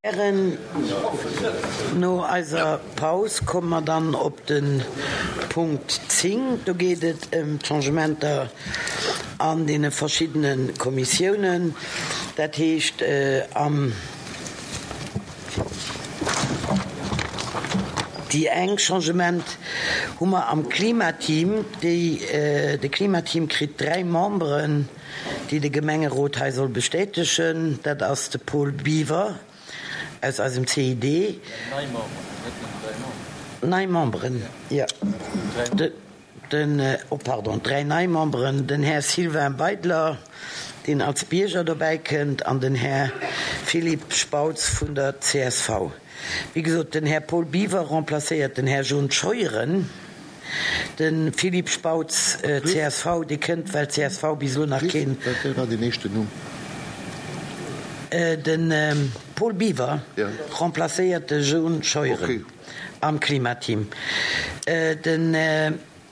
Hären, no eiser Paus komme mer dann op de Punkt 10. Do geet et ëm d'Changementer an deene verschiddene Kommissiounen, dat heescht am. Déi eng Changement hu mer am Klimateam. Déi, de Klimateam kritt 3 Memberen. déi de Gemengerot hei soll bestätegen, dat ass de Paul Biwer aus eisem CID. Nei Memberen, net nëmmen 3 Memberen. Nei Memberen, jo. Den, oh pardon, 3 nei Memberen, den Här Sylvain Beidler, deen als Bierger dobäi kënnt, an den Här Philippe Spautz vun der csv. Wéi gesot, den Här Paul Biwer remplacéiert den Här John Scheuren. De Philippe Spautz, csv, dee kënnt, well csv bis elo nach keen. Wat war deen éischten Numm? De Paul Biwer remplacéiert de John Scheuren am Klimateam. Den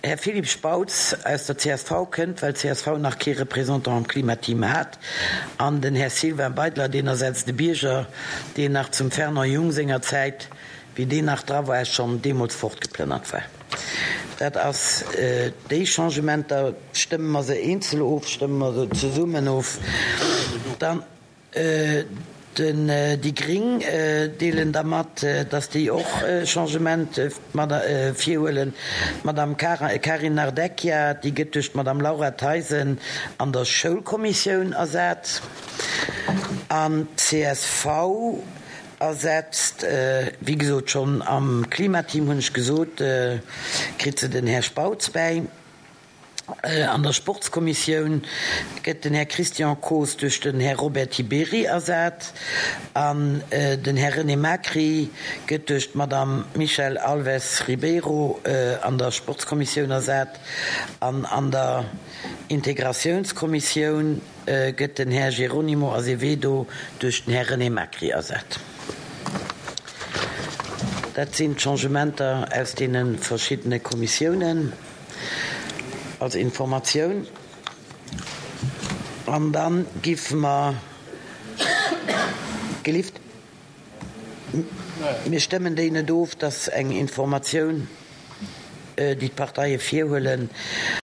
Här Philippe Spautz aus der csv kënnt, well csv nach kee Représentant am Klimateam hat. An den Här Sylvain Beidler, deen ersetzt e Bierger, deen nach zum Fernand Jung senger Zäit, wéi deen nach dra war, schonn deemools fortgeplënnert war. Dat ass déi Changementer. Stëmme mer se eenzel of? Stëmme mer se zesummen of? Dann den déi Gring deelen da mat, dass déi och Changement virhuelen. D'Madame Karin Nardecchia, déi gëtt duerch d'Madame Laura Theisen an der Schoulkommissioun ersat. An d'CSV Ersetzt, wéi gesot schonn am Klimateam hunn ech gesot, kritt se den Här Spautz bäi. An der Sportskommissioun gëtt den Här Christian Koos duerch den Här Robert Tiberi ersat an den Här René Macri gëtt duerch d'Madame Michèle Alves Ribeiro an der Sportskommissioun ersat an an der Integratiounskommissioun gëtt den Här Jerónimo Azevedo duerch den Här René Macri ersat. Dat sinn d'Changementer aus deene verschiddene Kommissiounen als Informatioun. An da giffe mer, gelift, mir stëmmen déi net of, dat ass eng Informatioun, déi d'Parteie virhuelen.